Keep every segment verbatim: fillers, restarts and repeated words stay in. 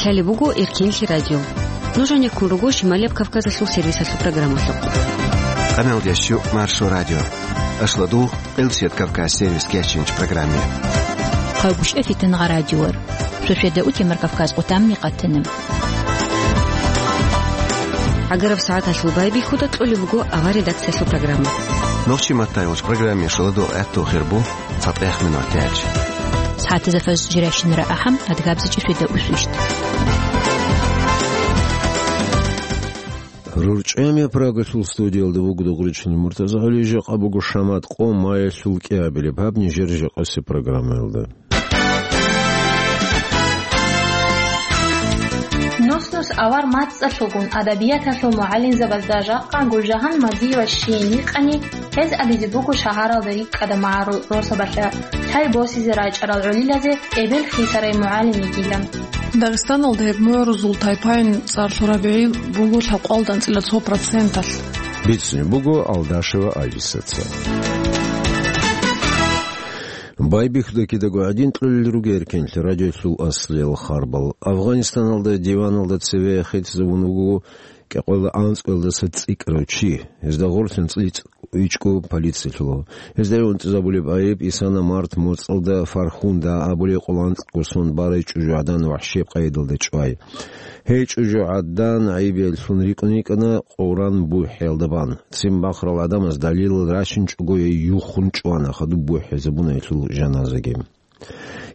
Лъалеб буго Эркенлъи радио. Нуж гьанеккун руго Шималияб Кавказалъул сервисалъул программалъухъ. Къамел дящу Маршо радио. Ашладул Элчет Кавказ сервис кечинч программе. Къагушев Фитнагъа радиор. Шошеда утемар Кавказ къутамни къатана. Агараб сагӀаталъул байбихьуда кьолеб буго авар редакциялъул программа. Нохчи маттай уч программе шаладул гӀатту хирбу. ЦатӀехъ минут тяч. СагӀатазда фаз жиращинара ахӀам, адгабзичӀи шведа усвищт. РурчӀами Прагалъул студиялда вуго Дугъричилан Муртазагьали, жакъа буго Шамат къо маялъул кӀиабилеб гьаб нижер жакъасе программаялда. Нус-нус авар мацӀалъугун адабияталъул мугӀалимзабазда жакъа Гулжагьан Мадиева щийин йикъани, гьез абизе буго шагьаралда рикӀкӀада магӀарул росабалъа, лъай босизе рачӀарал гӀолилазе эбел хисарай мугӀалим йигилан. Дагъистаналда гьеб мугӀрузул тайпаялъул цӀар лъураб гӀи буго лъабкъоялда анцӀила цо проценталъ. Бицунеб буго Алдашева Алисаца. Байбихьуда кидаго гӀадин кьолел руго Эркенлъи радиоялъул аслиял харбал. Афганистаналда диваналда цеве хитӀизабун вуго кӀикъоялда анцӀгоялдаса цӀикӀкӀарав чи. Гьезда гъорлъ анцӀила ичӀго полициялъула. Гьезда унтӀизабулеб гӀайиб исана март моцӀалда Фархунда абулеб къоло анцӀго сон барай чӀужугӀадан вахӀшияб къайдалда чӀвай. Гьей чӀужугӀадан гӀайиб гьелъун рикӀкӀун йикӀана Къуран бухӀиялда бан. Цин бахарал гӀадамаз далилал рачинчӀого гьей юххун чӀвана, хадуб бухӀизабуна гьелъул жаназаги.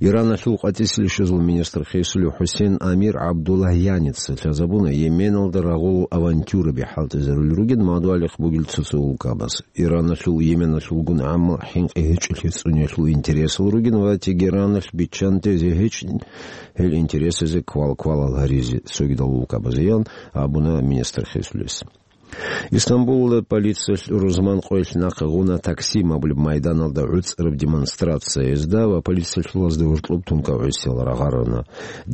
Ираналъул къватӀисел щвезул министр хисулев ХӀусен Амир ГӀабдуллагьяница лъазабуна Йеменалда рагъул авантюраби хӀалтӀизарулел ругин мадугьалихъ бугел цо-цо улкабаз. Ираналъул Йеменалъулгун гӀамал хӀинкъи гьечӀолъи цӀуниялъул интересал ругин ва Тегераналъ биччанте зе гьечӀин гьел интересазе квал-квалал гьаризе цогидал улкабазеян абуна министр хисулес. Истамбулалда полициялъ рузман къоялъ нахъе гъуна Таксим абулеб майданалда гӀуцӀараб демонстрацияязда ва полициялъулазда гьоркьоб тункав гӀисиял рагъарана.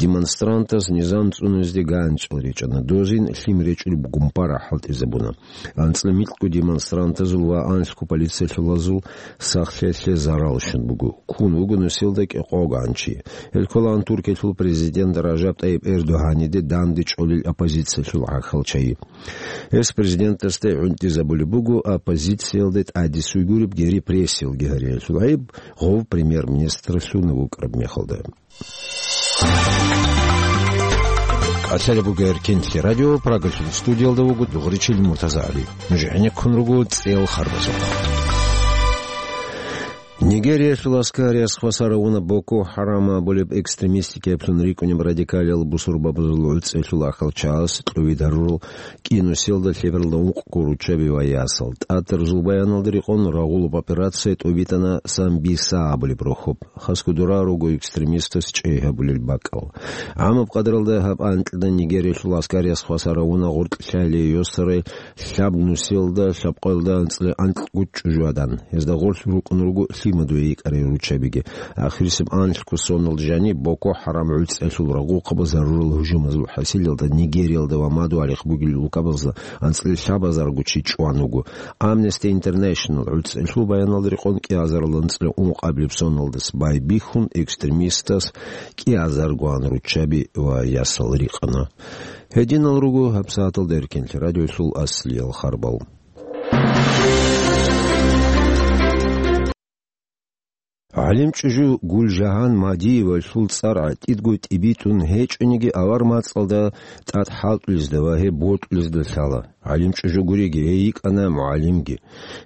Демонстрантаз низам цӀунезде ганчӀал речӀана, дозин лъим речӀулеб гумпара хӀалтӀизабуна. АнцӀила микьго демонстрантазул ва анлъго полициялъулазул сахлъиялъе зарал щун буго. Ккун вуго нусилда кӀикъого ганчи. Гьел кколаан Туркиялъул президент Ражаб ТӀайиб Эрдогьаниде данде чӀолел оппозициялъул гӀахьал чагӀи. Гьес президентасда гӀунтӀизабулеб буго оппозициялда тӀадисуй гуребги репрессиялги гьариялъул гӀайиб, гъов премьер-министрлъун вукӀараб мехалда. Калъалеб буго Эркенлъи радио, Прагалъул студиялда вуго Дугъричил Муртазагьали. Нуж гӀенеккун руго цӀел харбазухъ. Нигериялъул аскариялъ хвасар гьавуна Боко Харам абулеб экстремистикаблъун рикӀкӀунеб радикалиял бусурбабазул гӀуцӀиялъул ахал чагӀаз кьувид гьарурал кӀинусиялда лъебералда ункъго руччаби ва ясал. ТӀатарзул баяналда рекъон рагъулаб операция тӀубитӀана Самбиса абулеб рохьоб. Хасго дора руго экстремистас чӀей гьабулел бакӀал. ГӀамаб къадралда гьаб анкьда Нигериялъул аскариялъ хвасар гьавуна гъоркь лъалие йосарай лъаб нусиялда лъабкъоялда анцӀила анкьго чӀужугӀадан. Гьезда гъорлъ рукӀун руго лъимадуе йикӀарай руччабиги. Ахирисеб анлъго соналда жаниб Боко Харам гӀуцӀиялъул рагъухъабаз гьарурал гьужумазул хӀасилалда Нигериялда ва мадугьалихъ бугел улкабазда анцӀила лъабазарго чи чӀван вуго. Amnesty International гӀуцӀиялъул баяналда рекъон кӀиазарал анцӀила ункъабилеб соналдас байбихьун экстремистас кӀиазаргоан руччаби ва ясал рикъана. Гьединал руго гьабсагӀаталда Эркенлъи радиоялъул аслиял харбал. ГӀалимчӀужу Гулжагьан Мадиевалъул цӀар гӀатӀидго тӀибитӀун гьечӀониги авар мацӀалда тӀад хӀалтӀулезда ва гьеб бокьулезда лъала. ГӀалимчӀужу гуриги, гьей йикӀана мугӀалимги.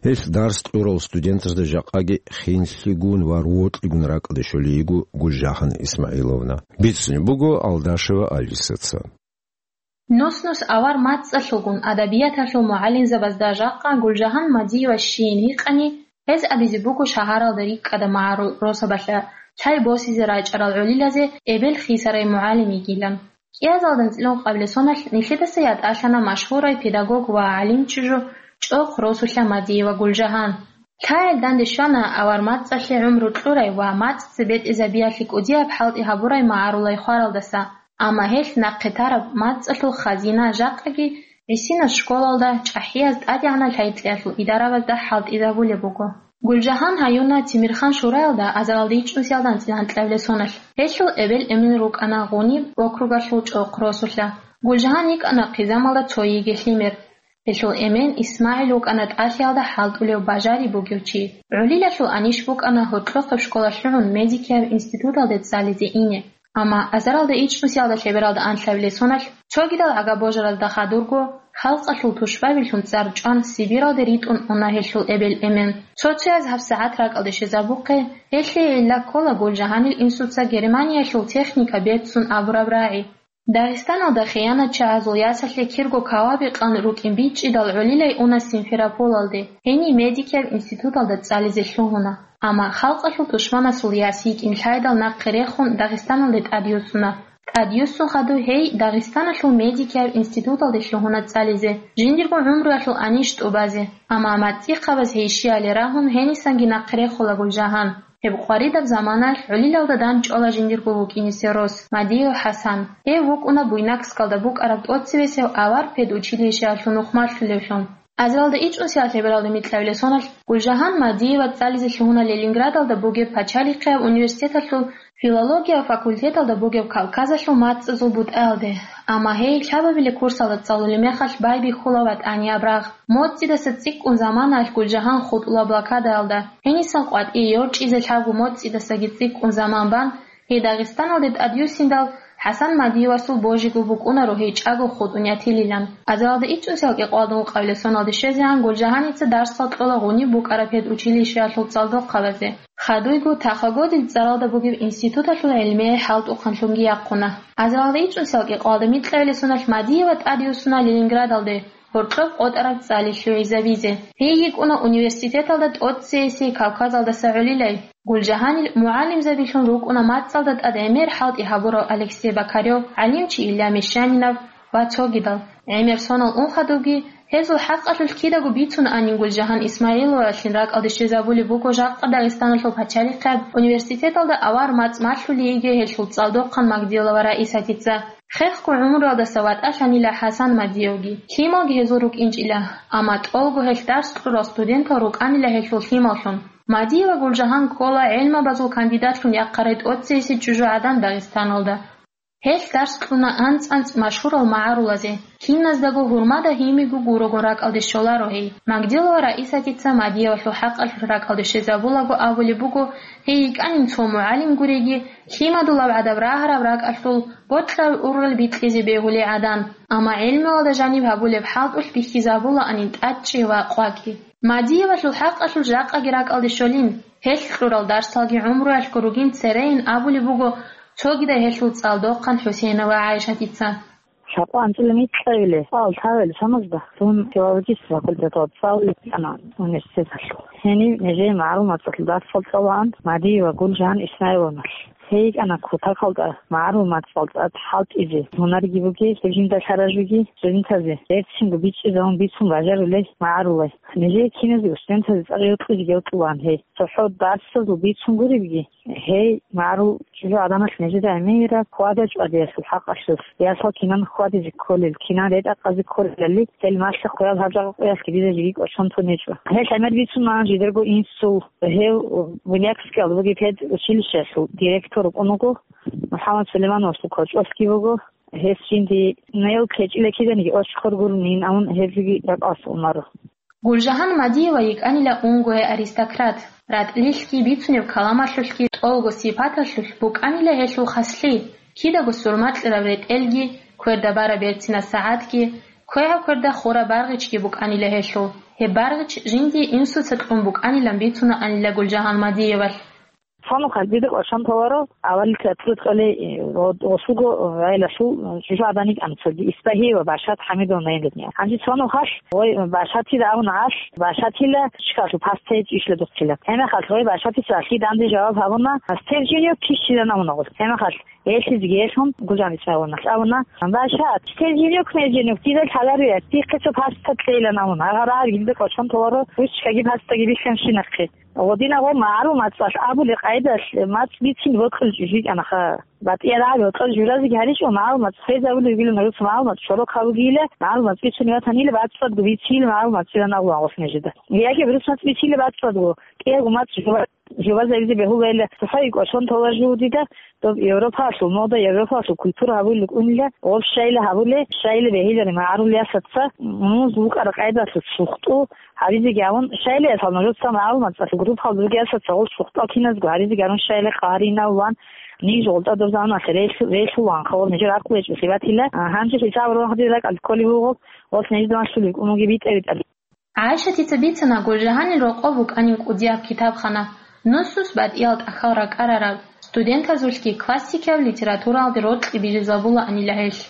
Гьелъ дарс кьурал студентазда жакъаги хинлъигун ва рокьигун ракӀалде щолей йиго Гулжагьан Исмагьиловна. Бицунеб буго Алдашева Алисаца. Нус-нус авар мацӀалъугун адабияталъул мугӀалимзабазда жакъа Гулжагьан Мадиева щийин гьикъани, гьез абизе буго шагьаралда рикӀкӀада магӀарул росабалъа, лъай босизе рачӀарал гӀолилазе эбел хисарай мугӀалим йигилан. КӀиазалда анцӀила ункъабилеб соналъ нилъедаса ятӀалъана машгьурай педагог ва гӀалимчӀужу чӀохъ росулъа Мадиева Гулжагьан. Лъаялда данде щвана авар мацӀалъе гӀумру кьурай ва мацӀ цебетӀезабиялъе кӀудияб хӀалтӀи гьабурай магӀарулай хваралдаса, амма гьелъ нахъе тараб мацӀалъул хазина жакъаги гӀисинаб школалда чӀахӀияз тӀадегӀанаб лъай-кьеялъул идарабазда хӀалтӀизабулеб буго. Гулжагьан гьаюна Тимирхан шураялда азаралда ичӀнусиялда анцӀила анкьабилеб соналъ. Гьелъул эбел-эмен рукӀана Гъуниб округалъул ЧӀохъ росулъа. Гулжагьан йикӀана хъизамалда цо йиги лъимер. Гьелъул эмен ИсмагӀил вукӀана тӀалъиялда хӀалтӀулев, бажари бугев чи. ГӀолилалъул анищ букӀана гьоркьохъеб школа лъугӀун медикияб институталде цӀализе ине. Амма азаралда ичӀнусиялда лъебералда анлъабилеб соналъ цогидал гӀага-божаразда хадурго, халкъалъул тушбабилъун цӀар чӀван, Сибиралде ритӀун уна гьелъул эбел-эмен. Цо-цояз гьабсагӀат ракӀалде щвезабухъе, гьелъие гӀилла ккола Гулжагьанил инсуца Германиялъул техника берцун абураб рагӀи. Дагъистаналда хиянатчагӀазул ясалъе кирго каваби къан рукӀин бичӀчӀидал гӀолилай уна Симферополалде, гьенив медикияб институталда цӀализе лъугьуна. Амма халкъалъул тушманасул яс йикӀин лъайдал нахъе рехун Дагъистаналде тӀадюссуна. ТӀадюссун хадуб гьей Дагъистаналъул медикияб институталде лъугьуна цӀализе, жиндирго гӀумруялъул анищ тӀубазе. Амма мацӀихъабаз гьей щияле рагьун гьенисанги нахъе рехула Гулжагьан. Гьеб къваридаб заманаялъ гӀолилалда дандчӀвала жиндирго вукӀине сверос, Мадиев ХӀасан. Гьев вукӀуна Буйнакскалда букӀараб тӀоцебесев авар педучилищеялъул нухмалъулевлъун. Азаралда ичӀнусиялда лъебералда микьабилеб соналъ Гулжагьан Мадиева цӀализе лъугьуна Ленинградалда бугеб пачалихъияб университеталъул филология факультеталда бугеб Кавказалъул мацӀазул бутӀаялде. Амма гьей лъабабилеб курсалда цӀалулеб мехалъ байбихьула ватӀанияб рагъ. МоцӀидаса цӀикӀкӀун заманаялъ Гулжагьан хутӀула блокадаялда. Гьенисан къватӀие йорчӀизе лъабго моцӀидасаги цӀикӀкӀун заман бан, гьей Дагъистаналде тӀадюссиндал, ХӀасан Мадиевасул божиго букӀунаро гьей чӀаго хутӀун ятилилан. Азаралда ичӀнусиялда кӀикъоялда ункъабилеб соналде щвезегӀан Гулжагьаница дарсал кьола Гъуниб букӀараб педучилищеялъул цӀалдохъабазе. Хадуйго Тахагодил цӀаралда бугеб институталъул гӀелмияй хӀалтӀухъанлъунги яхъуна. Азаралда ичӀнусиялда кӀикъоялда микьабилеб соналъ Мадиева тӀадюссуна Ленинградалде, гьоркьоб къотӀараб цӀали лъугӀизабизе. Гьей йикӀуна университеталда тӀоцеесей Кавказалдаса гӀолилай. Гулжагьанил мугӀалимзабилъун рукӀуна мацӀалда тӀад гӀемер хӀалтӀи гьабурав Алексей Бокарев, гӀалимчи Илья Мещанинов ва цогидал. ГӀемер сонал ун хадубги, гьезул хӀакъалъулъ кидаго бицун анин Гулжагьан ИсмагӀиловалъин ракӀалде щвезабулеб буго жакъа Дагъистаналъул пачалихъияб университеталда авар мацӀ малъулей йигей гьелъул цӀалдохъан Магдилова Раисатица. Хехго гӀумруялдаса ватӀалъанила ХӀасан Мадиевги, лъималги гьезул рукӀинчӀила, амма тӀолго гьелъ дарс кьурал студентал рукӀанила гьелъул лъималлъун. Мадиева Гулжагьан ккола гӀелмабазул кандидатлъун яхъарай тӀоцеесей чӀужугӀадан Дагъистаналда. Гьелъ дарс кьуна анцӀ-анцӀ машгьурал магӀарулазе, киназдаго гьурмада гьимиго гурого ракӀалде щоларо гьей. Магдилова Раисатица Мадиевалъул хӀакъалъулъ ракӀалде щвезабулаго абулеб буго, гьей йикӀанин цо мугӀалим гуреги, лъимадулаб гӀадаб рагьараб ракӀалъул бокьараб ургъел бикьизе бегьулей гӀадан, амма гӀелмуялда жаниб гьабулеб хӀалтӀулъ бихьизабулаанин тӀадчӀи ва къвакӀи. Мадиевалъул хӀакъалъулъ жакъаги ракӀалде щолин, гьелъ кьурал дарсалги гӀумруялъго ругин церейин абулеб буго цогидай гьелъул цӀалдохъан ХӀусейнова ГӀайшатица. Лъабкъо анцӀила микьабиле, цӀал лъабабиле соназда, дун филологиялъул факультеталда цӀалулеб букӀана университеталъул. Гьенив нижее магӀарул мацӀалъул дарсал цӀалаан Мадиева Гулжан Исмаиловналъ. Гьей йикӀана кутакалда магӀарул мацӀал тӀад хӀалтӀизе, гьунарги бугей, гьеб жинда лъаражуги, студентазе берцинго бичӀчӀизабун бицун бажарулей магӀарулай. Нижее киназего студентазе цӀакъ гьоркьизе-гьоркьулаан гьей. ЦохӀо дарсазул бицун гуребги, гьей магӀарул чӀужугӀаданалъ нижеда гӀемераб хьвада-чӀвадиялъул хӀакъалъулъ, ясал кинан хьвадизе кколел, кинан ретӀа-къазе кколелали, гьел малъа-хъваял гьаб жакъа къоялъги дида жеги кӀочон тун гьечӀо. Гьел гӀемер бицун магӀан жидерго инсул, гьев Буйнакскиялда бугеб педучилищеялъул директор вукӀун вуго, МухӀаммад Сулеймановасул кочӀолъги вуго, гьес жинди нел кечӀила киданиги очхор гурунин, амун гьеб жеги ракӀалъ унаро. Гулжагьан Мадиева йикӀанила унгое аристократ, ратӀлилъги, бицунеб каламалъулъги, тӀолго сипаталъулъ букӀанила гьелъул хаслъи, кидаго сурмакьараб ретӀелги, кверда бараб берцинаб сагӀатги, квегӀаб кверда хураб баргъичги букӀанила гьелъул. Гьеб баргъич жиндие инсуца кьун букӀанилан бицунаанила Гулжагьан Мадиевалъ. Цо нухалъ дида кӀочон толаро, авалил театралда кьолей, э, гъо-, гъосулго, э, гӀелалъул, э, чӀужугӀадан йикӀана цоги, Исбагьиева Башат Хьамидовна гьениб. Гьанже цо нухалъ, ой, Башатида абуна гьалъ, Башатила чкалъул пастайи чӀищла духъила. Гьебмехалъ, ой, Башатица гьалъие данде жаваб гьабуна, стер женёк кищилан абуна гъолъ. Гьебмехалъ, гьелъизеги гьелъун, Гулжан Исмаиловналъ абуна, Башат, стер женёк, мер женёк, дида лъаларевият, дихъе цо паста кьейилан абуна. Гьагъа рагӀаби дида кӀочон толаро, ручкаги пастаги бихьанщинахъе. Гъодинагъо магӀарул мацӀалъ абулеб къайдалъ мацӀ бицин бокьулев чӀужу йикӀана ха. БатӀияб рагӀаби бокьулев журазеги гьаричӀо, магӀарул мацӀ хвезабулеб бугилан, гъоркь магӀарул мацӀ чорохъаб бугила, магӀарул мацӀ бицунеб ватанила бацӀцӀадго бицийила магӀарул мацӀилан абула гъос нижеда. Яги гъоркь мацӀ бицийила бацӀцӀадго, Эго, мацӀ жуба-, жубазабизе бегьулайила, цохӀо икӀвалъун тола жугьутӀида, доб Европалъул мода, Европалъул культура гьабулел кӀунила, гъоб щайила гьабуле, щайила бегьилари магӀарулиясаца, муз вукӀара къайдалъул сухтӀу гьабизеги гьавун, щайилаясал нужеца магӀарул мацӀалъул группалда ругеясаца гъол сухтӀал киназго гьаризеги гьарун щайила къагьаринавлан, ниж гъолтӀа доб заманалъе релъу-, релъулаанха гъол нижер аркъулечӀо лъибатила, а, гьанже хӀисаб рогьаде ракӀалде кколеб буго, гъос нижеда малъулеб кӀун бугеб битӀа-битӀа. ГӀайшатица бицана, Гулжагьанил рокъов букӀанин кӀудияб китабхана, нусус батӀиял тӀахьал ракӀарараб, студентазулъги классикияб литературалде рокьи бижизабулаанила гьелъ.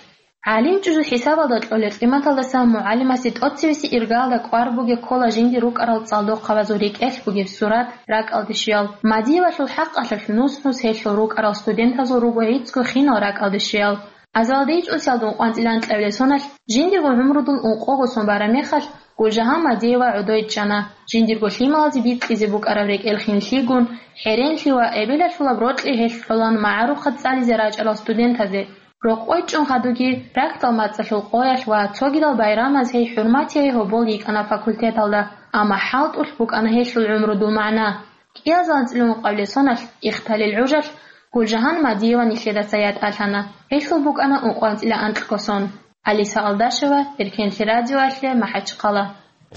ГӀалимчӀужу хӀисабалда кьолел къиматалдасан мугӀалимасе тӀоцевеси иргалда кӀвар бугеб ккола жиндир рукӀарал цӀалдохъабазул рекӀелъ бугеб сурат, ракӀалде щвеял, Мадиевалъул хӀакъалъулъ нус-нус гьелъул рукӀарал студентазул руго гӀицӀго хинал ракӀалде щвеял. Азалда ичӀусиялда ункъоанцӀила анкьабилеб соналъ, жиндирго гӀумрудул ункъого сон бараб мехалъ, Гулжагьан Мадиева гӀодой чӀана, жиндирго лъималазе бикьизе букӀараб рекӀел хинлъигун, хӀеренлъи ва эбелалъулаб рокьи гьелъ лъолан магӀарухъад цӀализе рачӀарал студентазе. Рокъой чӀун хадуги, рахьдал мацӀалъул къоялъ ва цогидал байрамаз гьей хӀурматияй гьобол йикӀана факультеталда, амма хӀалтӀулъ букӀана гьелъул гӀумрудул магӀна. КӀиазул анцӀила ункъабилеб соналъ, ихталил гӀужалъ, Гулжагьан Мадиева нилъедаса ятӀалъана. Гьелъул букӀана ункъоанцӀила анкьго сон. Алиса Алдашева, Эркенлъи радиоялъе, МахӀачхъала.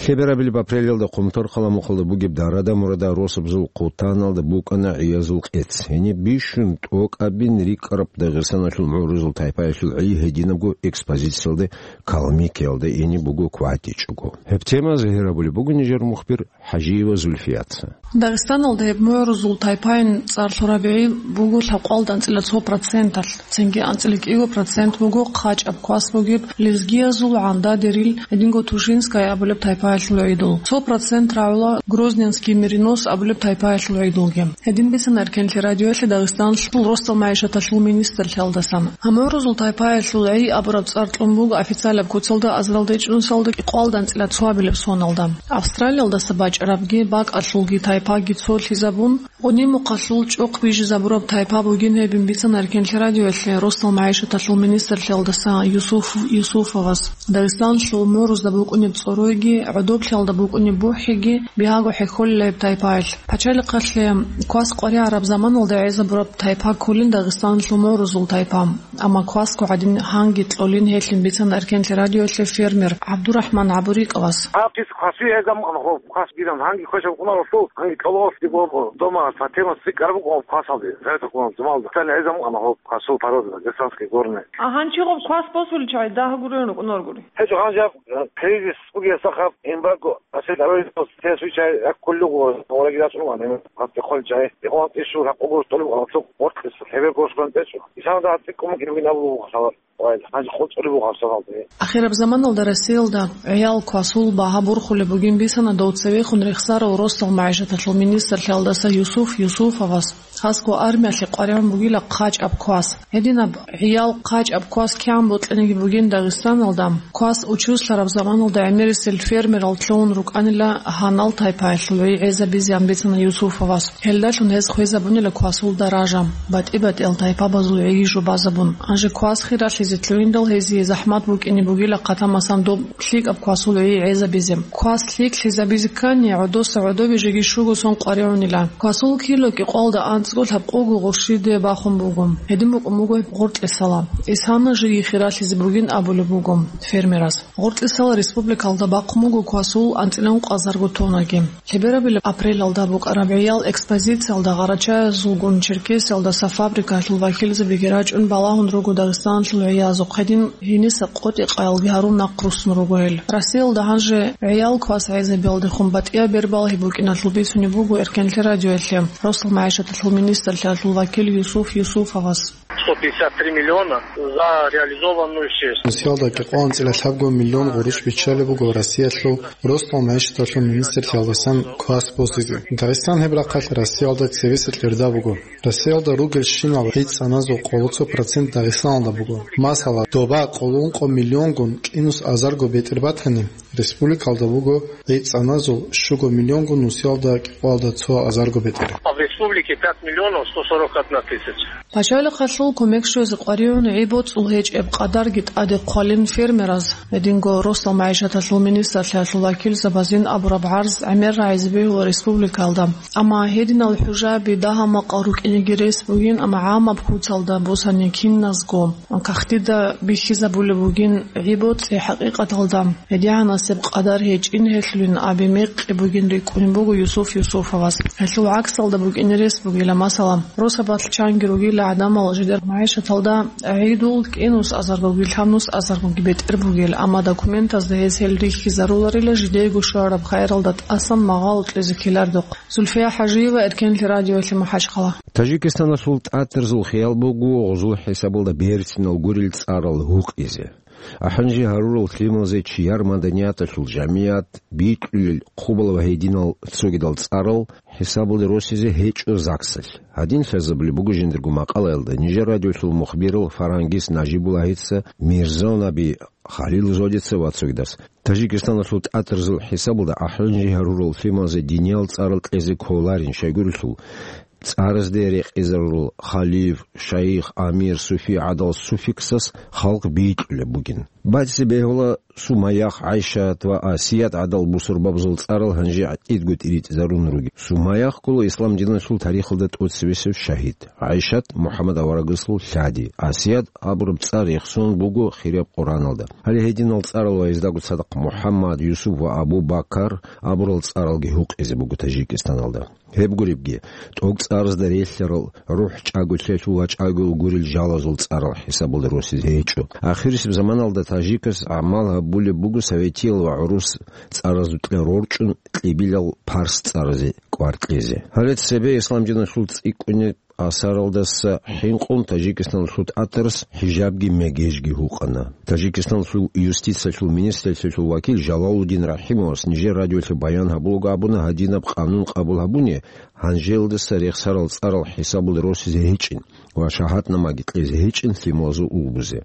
Лъеберабилеб апрелалда Къумторхъала мухъалда бугеб Дарада-Мурада росабазул хъутаналда букӀана гӀиязул къец. Гьениб бищун тӀокӀабин рикӀкӀараб Дагъистаналъул мугӀрузул тайпаялъул гӀи гьединабго экспозициялда Калмыкиялда ине буго кватӀичӀого. Гьеб тема загьир гьабулеб буго нижер мухбир ХӀажиева Зульфияца. Дагъистаналда гьеб мугӀрузул тайпаялъул цӀар лъураб гӀи буго лъабкъоялда анцӀила цо проценталъ, цинги анцӀила кӀиго процент буго хъачӀаб квас бугеб лезгиязул ГӀандадерил, гьединго Тушинская абулеб тайпаялъул гӀидул. Цо процент рагӀула Грозненский меринос абулеб тайпаялъул гӀидулги. Гьедин бицана Эркенлъи радиоялъе Дагъистаналъул росдал магӀишаталъул министрлъиялдасан. Гьаб мугӀрузул тайпаялъул гӀи абураб цӀар кьун буго официалаб куцалда азаралда ичӀнусиялда кӀикъоялда анцӀила цоабилеб соналда. Австралиялдаса бачӀарабги, бакӀалъулги тайпаги цолъизабун, Къунимухъалъул чӀухъ бижизабураб тайпа бугин гьебин бицана Эркенлъи радиоялъе росдал магӀишаталъул министрлъиялдаса Юсуф Юсуфовас. Дагъистаналъул мугӀрузда букӀунеб цӀоройги, гӀодоблъиялда букӀунеб бухӀиги бигьаго хӀехьолила гьеб тайпаялъ. Пачалихъалъе квас къваригӀараб заманалда гӀезабураб тайпа кколин Дагъистаналъул мугӀрузул тайпа. Амма квасго гӀадин гьанги кьолин гьелъин бицана Эркенлъи радиоялъе фермер ГӀабдурахӀман ГӀабурикъовас. Гьаб кис кваси гӀезаб мукъана гьоб квас биран, гьанги квешаб кӀунаралъул, гьанги кӀололъги бо-, бо-, дома фатемас цӀикӀкӀараб букӀун гьоб квасалде, гӀезаб кӀунал зумалда. Цани гӀезаб мукъана гьоб квасул порода, герсанский горный. А гьанчи гьоб квас босуличӀай дагь гурен рукӀунаргури? ГьечӀо гьанжаб, э, кризис бугесахъаб, эмбарго, асил гьарулел тес вичай як куллугу, орагирас уман, эмбарго хъат бихъулчӀай, ихъван тӀишу ракъугур тӀолиб гъалцук, гъоркьис, хӀебер гошган тӀечӀо. Исалда гьатӀи кӀумукӀин винабулгъу хабар. Ахираб заманалда Россиялда гӀиял квасул багьа бурхулеб бугин бицана дов цевехун рехсарав росдал магӀишаталъул министрлъиялдаса Юсуф Юсуфовас. Гьасго армиялъе къваригӀун бугила хъачӀаб квас. Гьединаб гӀиял хъачӀаб квас кигӀан бокьаниги бугин Дагъистаналда, квас учуслъараб заманалда гӀемерисел фермерал лъугьун рукӀанила гьанал тайпаялъул гӀи гӀезабизеян бицана Юсуфовас. Гьелдалъун гьез хвезабунила квасул даража, батӀи-батӀиял тайпабазул гӀиги жубазабун. Гьанже квас хиралъизе лъугьиндал гьезие захӀмат букӀине бугила хъатамасан доб лъикӀаб квасул гӀи гӀезабизе. Квас лъикӀлъизабизе ккани, гӀодоса гӀодобе жеги щуго сон къваригӀунила. Квасул кило кӀикъоялда анцӀго лъабкъого гъурщиде бахун буго. Гьедин букӀун буго гъоркьисала. Исана жеги хиралъизе бугин абулеб буго фермерас. Гъоркьисала республикалда бахъун буго квасул анцӀила ункъазарго тоннаги. Лъеберабилеб апрелалда букӀараб гӀиял экспозициялда гъарачаязулгун Черкесиялдаса фабрикаялъул вакилзабиги рачӀун балагьун руго Дагъистаналъул гӀиязухъ, гьедин гьениса къотӀи-къаялги гьарун нахъ руссун руго гьел. Россиялда гьанже гӀиял квас гӀезабиялдехун батӀияб бер балгьи букӀиналъул бицунеб буго Эркенлъи радиоялъе росдал магӀишаталъул министрлъиялъул вакил Юсуф Юсуфовас. Сто пятьдесят три миллиона за реализованную сеть. Нусиялда кӀикъоялда анцӀила лъабго миллион гъурущ биччалеб буго Россиялъул росдал магӀишаталъул министрлъиялдасан квас босизе. Дагъистан гьеб рахъалъ Россиялда цевеса кьерда буго. Россиялда ругелщинал гӀицӀаназул къоло цо процент Дагъистаналда буго. Масала, доба къоло ункъо миллионгун кӀинус азарго бетӀер батани, республикалда буго гӀицӀаназул щуго миллионгун, нусиялда кӀикъоялда цо азарго бетӀер. А в республике пять миллионов сто сорок одна тысяча. Пачалихъалъул кумек щвезе къваригӀун гӀи-боцӀул гьечӀеб къадарги тӀаде хъвалин фермераз, гьединго росдал магӀишаталъул министрлъиялъул вакилзабазин абураб гӀарз гӀемер рагӀизе бегьула республикалда. Амма гьединал хӀужаби дагьа-макъал рукӀинеги рес бугин, амма гӀамаб куцалда босани киназго кагътида бихьизабулеб бугин гӀи-боцӀи хӀакъикъаталда. ГьедигӀанасеб къадар гьечӀин гьелъулин аби мекъи бугин рикӀкӀунеб буго Юсуф Юсуфовас. Гьелъул гӀаксалда букӀине рес бугила, масала, росабалъ чанги ругила гӀадамал жидер магӀишаталда гӀидул кӀинус азаргоги лъабнус азаргоги бетӀер бугел, амма документазда гьез гьел рихьизаруларила жидеего щвараб хайралда тӀасан магъало кьезе ккелардухъ. Зульфия ХӀажиева, Эркенлъи радиолъи, МахӀачхъала. Тажикистаналъул тӀатарзул хиял буго гъузул хӀисабалда берцинал гурел цӀарал гьукъизе. АхӀанже гьарурал лъималазе чияр маданияталъул жамият бикьулел хъубал ва гьединал цогидал цӀарал хӀисабалде росизе гьечӀо ЗАГСалъ. Гьадин лъазабулеб буго жиндирго макъалаялда нижер радиолъул мухбирал Фарангис Нажибуллагьица, Мирзонаби Халил Зодица ва цогидас. Тажикистаналъул тӀатарзул хӀисабалда ахӀанже гьарурал лъималазе диниял цӀарал кьезе кколарин, щайгурелъул цӀаразде рекъезарурал халиф, шайх, амир, суфи гӀадал суффиксас халкъ бикьулеб бугин. БацӀцӀи бегьула Сумаях, ГӀайшат ва Асият гӀадал бусурбабазул цӀарал гьанже гӀатӀидго тӀиритӀизарун ругел. Сумаях ккола ислам диналъул тарихалда тӀоцебесеб шагьид. ГӀайшат МухӀаммад аварагасул лъади. Асият абураб цӀар рехсон буго хираб Къураналда. Гьале гьединал цӀарал ва гьездаго цадахъ МухӀаммад, Юсуп ва Абу Бакар абурал цӀаралги гьукъизе буго Тажикистаналда. Гьеб гуребги, тӀокӀцӀаразда релълъарал, рухӀ чӀаголъиялъул ва чӀаголъи гурел жалазул цӀарал хӀисабалда росизе гьечӀо. Ахирисеб заманалда тажикас гӀамал гьабулеб буго советиял ва гӀурус цӀаразукьа рорчӀун кьибилал парс цӀаразе кӀвар кьезе. Гьале цебе ислам диналъул цӀикӀкӀунеб асаралдаса хӀинкъун Тажикистаналъул тӀатарас хӀижабги мегежги гьукъана. Тажикистаналъул юстициялъул министрлъиялъул вакил Жалалудин Рахимовас нижер радиолъе баян гьабулаго абуна, гьадинаб къанун къабул гьабуни, гьанжелдаса рехсарал цӀарал хӀисабалде росизе гьечӀин ва шагьатнамаги кьезе гьечӀин лъималазул улбузе.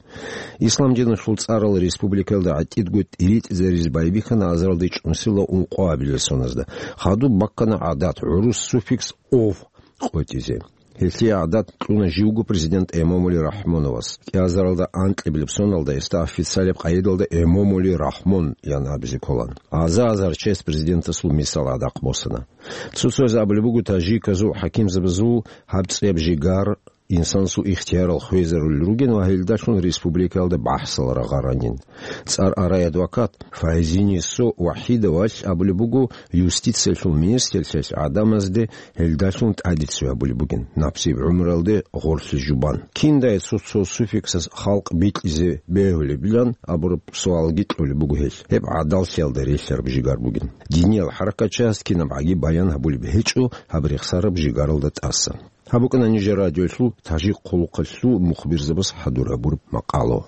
Ислам диналъул цӀарал республикаялда гӀатӀидго тӀиритӀизаризе байбихьана азаралде чӀунсила ункъоабилеб соназда. Хадуб баккана гӀадат гӀурус суффикс ов къотӀизе. Гьелъие гӀадат кьуна живго президент Эмомали Рахмоновас. КӀиазаралда анкьабилеб соналда гьесда официалаб къайдалда Эмомали Рахмон ян абизе кколан. Аза-азар чес президентасул мисал гӀадахъ босана. Цо-цояз абулеб буго, тажиказул хӀакимзабазул гьаб цӀияб жигар инсанасул ихтиярал хвезарулел ругин ва гьелдалъун республикаялда бахӀсал рагъаранин. ЦӀар арай адвокат Файзинисо ВахӀидовалъ абулеб буго, юстициялъул министрлъиялъ гӀадамазде гьелдалъун тӀадицци гьабулеб бугин, напсияб гӀумруялде гъорлъи жубан. Киндай цо-цо суффиксас халкъ бикьизе бегьулебилан абураб суалги кьолеб буго гьелъ. Гьеб гӀадаллъиялда релълъараб жигар бугин. Диниял хӀаракатчияс кинабгӀаги баян гьабулеб гьечӀо гьаб рехсараб жигаралда тӀаса. Гьаб букӀана нижер радиолъул тажик хъулухъалъул мухбирзабаз хӀадур гьабураб макъало.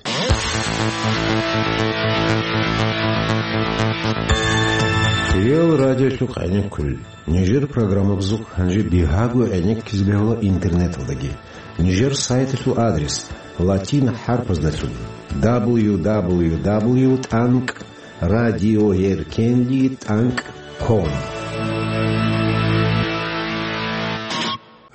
Хириял радиолъухъ гӀенеккулел нижер программабазухъ гьанже бигьаго гӀенеккизе бегьула интернеталдаги. Нижер сайталъул адрес латин хӀарпаздалъун: дабл ю дабл ю дабл ю тӀанкӀ радиоеркенлъи тӀанкӀ ком.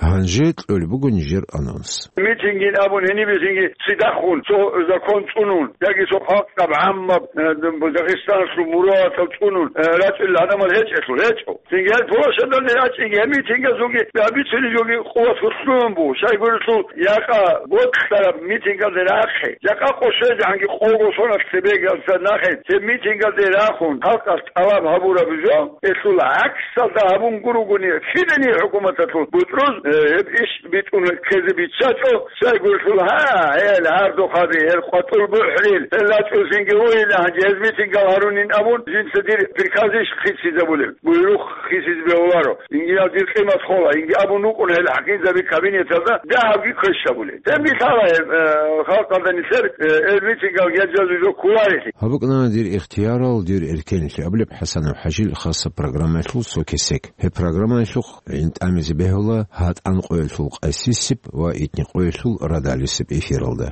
Гьанже кьолеб буго нижер анонс. Митингин абун гьениб бихьинги цидахун, цо закон цӀунун, яги цо халкъаб гӀаммаб, э, Дагъистаналъул мурадатал цӀунун, э, рачӀунел гӀадамал гьечӀелъул гьечӀо. Цинги гьел площадалде рачӀинги, гьеб митингазулги, гьабицунеб жоги къуват гьуслугьун буго. Щайгурелъул, якъа бокьараб митингалде рахъе, жакъа къо щвезегӀанги къого соналъ цебеги алсад нахъе, цеб митингалде рахун, халкъалъ тӀалаб гьабураб жо, гьелъул гӀаксалда гьабун гуругони, кидани хӀукуматалъул бутӀруз, э, гьеб иш битӀун ккезе биччачӀо, щайгурелъул, гьа, гьел гьардухъаби, гьел къватӀул бухӀрил, гьел рачӀунсинги ругьила, гьанже гьез митингал гьарунин абун, жинца дир приказищ хисизабулеб, буйрухъ хисизе бегьуларо. Инги гьав дир къимат хола, инги абун вукӀун гьел хӀакимзаби кабинеталда дагьабги квешабулел. Гьеб мисала гьеб, э, халкъалда нилъер, э, гьел митингал гьел жо кколарелъи. Гьаб букӀана дир ихтиярал, дир эркенлъи абулеб ХӀасанов ХӀажил хасаб программаялъул цо кесек. Гьеб программаялъухъ гӀин тӀамизе бегьула гьатӀан къоялъул къайсисеб ва итни къоялъул радалисеб эфиралда.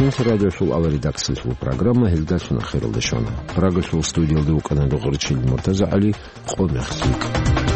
Инсарадиолъул аваридакциялъул программа гьелдалъун ахиралде щвана. Прагалъул студиялда вукӀана Дугъурчил МуртазагӀали. Къо мехлъи.